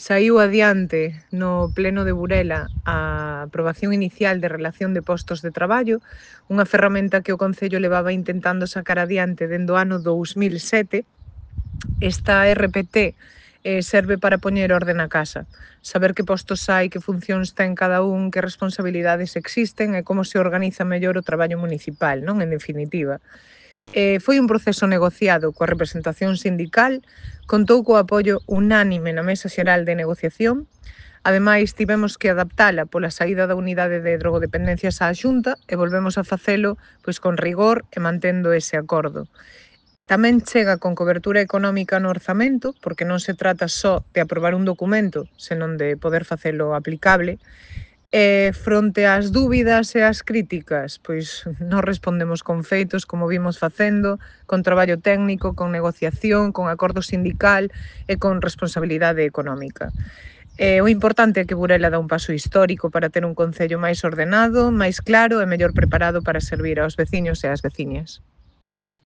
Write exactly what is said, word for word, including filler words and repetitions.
Saíu adiante no pleno de Burela a aprobación inicial de relación de postos de traballo, unha ferramenta que o Concello levaba intentando sacar adiante dende o ano dous mil sete. Esta R P T eh, serve para poñer orde na casa, saber que postos hai, que funcións ten cada un, que responsabilidades existen e como se organiza mellor o traballo municipal, non? En definitiva. Eh, foi un proceso negociado coa representación sindical, contou co apoio unánime na Mesa Xeral de Negociación. Ademais, tivemos que adaptala pola saída da unidade de drogodependencias á Xunta e volvemos a facelo pois con rigor e mantendo ese acordo. Tamén chega con cobertura económica no orzamento, porque non se trata só de aprobar un documento, senón de poder facelo aplicable. E fronte ás dúbidas e ás críticas, pois non respondemos con feitos, como vimos facendo, con traballo técnico, con negociación, con acordo sindical e con responsabilidade económica. E o importante é que Burela dá un paso histórico para ter un concello máis ordenado, máis claro e mellor preparado para servir aos veciños e ás veciñas.